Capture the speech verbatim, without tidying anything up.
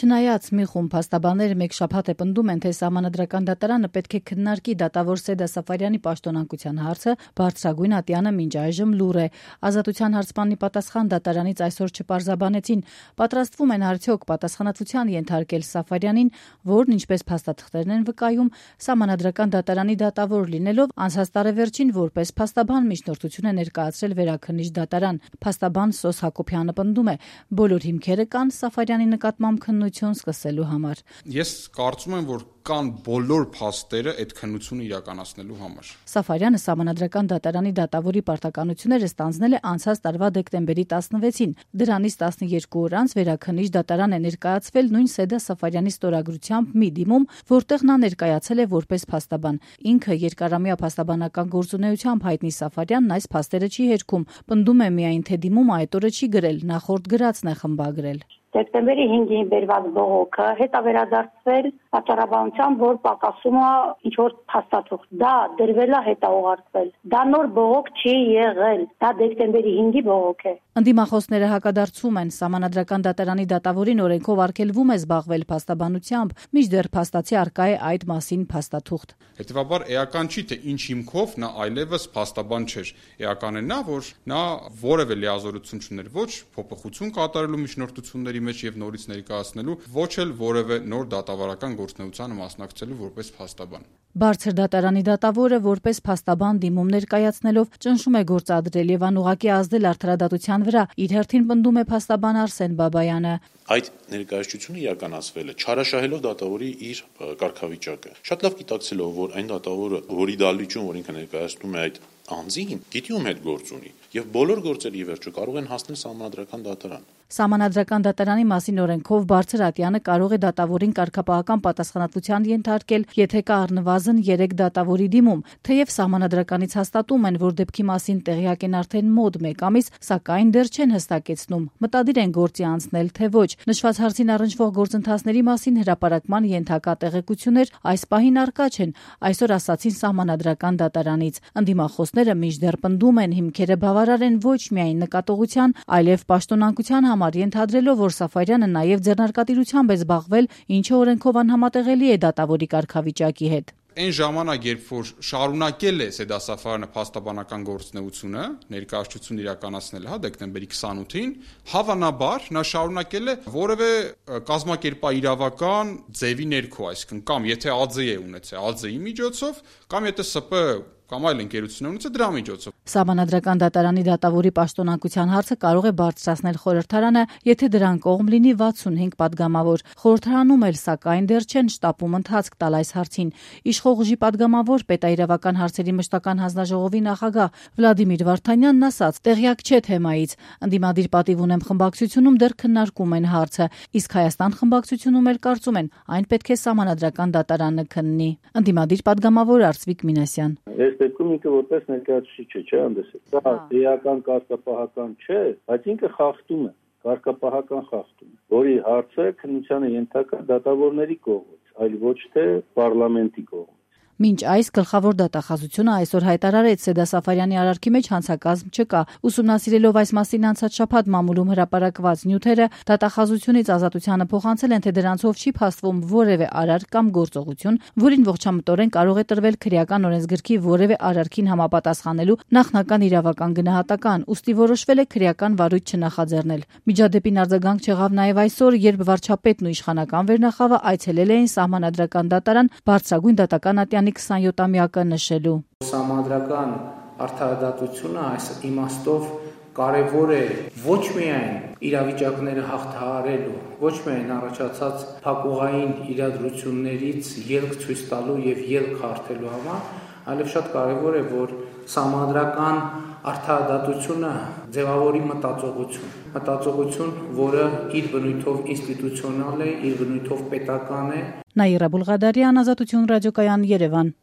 Չնայած մի խումբ փաստաբաններ մեկ շաբաթ է պնդում են, թե Սահմանադրական դատարանը պետք է քննարկի դատավոր Սեդա Սաֆարյանի պաշտոնակության հարցը, բարձրագույն ատյանը մինչ այժմ լուռ է։ Ազատության հարցմանի պատասխան դատարանից այսօր չպարզաբանեցին, պատրաստվում են արդյոք պատասխանատվության ենթարկել Սաֆարյանին, որն ինչպես փաստաթղթերն են վկայում, Սահմանադրական դատարանի դատավոր լինելով անցած տարեվերջին որպես փաստաբան միջնորդություն է ներկայացրել Վերաքննիչ դատարան։ Փաստաբան Սոս Հակոբյանը պնդում է, բոլոր հիմքերը կան Սաֆարյանի նկատմամբ քննություն սկսելու համար։ Ես կարծում եմ, որ կան բոլոր փաստերը այդ քննությունը իրականացնելու համար։ Սաֆարյանը Սահմանադրական դատարանի դատավորի պարտականությունները ստանձնել է անցած տարվա դեկտեմբերի տասնվեցին։ Դրանից տասնյոթ օր անց Վերաքննիչ դատարան է ներկայացվել նույն Սեդա Սաֆարյանի ստորագրությամբ մի դիմում, որտեղ նա ներկայացել է որպես փաստաբան։ Ինքը երկարամյա փաստաբանական գործունեությամբ հայտնի Սաֆարյանն այս փաստերը չի հերքում, պնդում է միայն, թե դիմումը այդ օրը չի գրել, նախորդ գրածն է խմբագրել։ Դեկտեմբերի հինգին բերված բողոքը հետավերադարձվել պատճառաբանությամբ, որ պակասում է ինչ-որ փաստաթուղթ։ Դա դրվել է հետաուղարկվել։ Դա նոր բողոք չի եղել։ Դա դեկտեմբերի հինգի բողոք է։ Ընդդիմախոսները հակադարձում են, Սահմանադրական դատարանի դատավորին օրենքով արգելվում է զբաղվել փաստաբանությամբ, մինչդեռ փաստացի առկա է այդ մասին փաստաթուղթ։ Հետևաբար էական չի, թե ինչ հիմքով նա այլևս փաստաբան չէր։ Էական է նա, որ նա որևէ լիազորություն չուներ ոչ փոփոխություն կատարելու միջնորդությունների մեջ եւ նորից ներկայացնելու, ոչ էլ որևէ նոր դատավարական գործունեությանը մասնակցելու որպես փաստաբան։ Բարձր դատարանի դատավորը որպես փաստաբան դիմում ներկայացնելով ճնշում է գործադրել եւ անուղղակի ազդել արդարադատության վրա, իր հերթին պնդում է փաստաբան Արսեն Բաբայանը։ Այդ ներկայացությունը իրականացվել է չարաշահելով դատավորի իր կարգավիճակը։ Շատ լավ գիտակցելով, որ այն դատավորը, որի դալիճում, որ ինքը ներկայացնում է այդ անձին, գիտի ում հետ գործ ունի եւ բոլոր գործերի վերջը կարող են հասնել Սահմանադրական դատարան։ Սահմանադրական դատարանի մասին օրենքով բարձր ատյանը կարող է դատավորին կարգապահական պատասխանատվության ենթարկել, եթե կա առնվազն երեք դատավորի դիմում, թեև Սահմանադրականից հաստատում են, որ դեպքի մասին տեղյակ են արդեն մոտ մեկ ամիս, սակայն դեռ չեն հստակեցնում, մտադիր են գործի անցնել, թե ոչ։ Նշված հարցին առնչվող գործընթացների մասին հրապարակման ենթակա տեղեկություններ այս պահին առկա չեն, այսօր ասացին Սահմանադրական դատարանից։ Ընդդիմախոսները մինչդեռ պնդում են, հիմքերը բավարար են ոչ միայն նկատողության, այլև պաշտոնակության համար, ենթադրելով, որ Սաֆարյանը նաև ձեռնարկատիրությամբ է զբաղվել, ինչը օրենքով անհամատեղելի է դատավորի կարգավիճակի հետ։ Այն ժամանակ, երբ որ շարունակել է Սեդա Սաֆարյանը փաստաբանական գործունեությունը, ներկայացություն իրականացնել, հա, դեկտեմբերի քսանութին, հավանաբար նա շարունակել է որևէ կազմակերպաիրավական ձևի ներքո, այսինքն կամ եթե ԱՁ է ունեցել, ԱԶ-ի միջոցով, կամ եթե ՍՊ կամ այլ ընկերություն ունեցել դրա միջոցով։ Սահմանադրական դատարանի դատավորի պաշտոնակության հարցը կարող է բարձրացնել խորհրդարանը, եթե դրան կողմ լինի վաթսունհինգ պատգամավոր։ Խորհրդարանում էլ սակայն դեռ չեն շտապում ընթացք տալ այս հարցին։ Իշխող ուժի պատգամավոր պետաիրավական հարցերի մշտական հանձնաժողովի նախագահ Վլադիմիր Վարդանյանն ասաց. «Տեղյակ չէ թեմայից։ Ընդդիմադիր պատիվ ունեմ խմբակցությունում դեռ քննարկում են հարցը, իսկ Հայաստան խմբակցությունում էլ կարծում են, այն պետք է Սահմանադրական դատարանը քննի»։ Ընդդիմադիր պատգամավոր Արծվիկ Մինասյան։ Դեպքում ինքը որպես ներկայացուցիչ չէ, չէ՞ հանդեսել։ Դա էական կարգապահական չէ, բայց ինքը խախտում է, կարգապահական խախտում, որի հարցը քննությանը ենթակա դատավորների կողմից, այլ ոչ թե պարլամենտի կողմից։ Մինչ այս գլխավոր դատախազությունը այսօր հայտարարեց Սեդա Սաֆարյանի արարքի մեջ հանցակազմ չկա։ Ուսումնասիրելով այս մասին անցած շաբաթ մամուլում հրապարակված նյութերը, դատախազությունից ազատությանը փոխանցել են, թե դրանցով չի փաստվում որևէ արարք կամ գործողություն, որին ողջամտորեն կարող է տրվել քրեական օրենսգրքի որևէ արարքին համապատասխանելու նախնական իրավական գնահատական, ուստի որոշվել է քրեական վարույթ չնախաձեռնել։ Միջադեպին արձագանք չեղավ նաև այսօր, երբ վարչապետն ու իշխանական վերնախավը այցելել էին Սահմանադրական դատարան բարձրագույն դատական ատյանի քսանյոթամյակը նշելու։ Սահմանադրական արդարադատությունը այս իմաստով կարևոր է ոչ միայն իրավիճակները հաղթահարելու, ոչ միայն առաջացած փակուղային իրադրություններից ելք ցույց տալու եւ ելք հարթելու համար, այլև շատ կարևոր է, որ սահմանադրական արդարադատությունը ձևավորի մտածողություն, մտածողություն, որը իր բնույթով ինստիտուցիոնալ է, իր բնույթով պետական է։ Նաիրա Բուլղադարյան, Ազատություն ռադիոկայան, Երևան։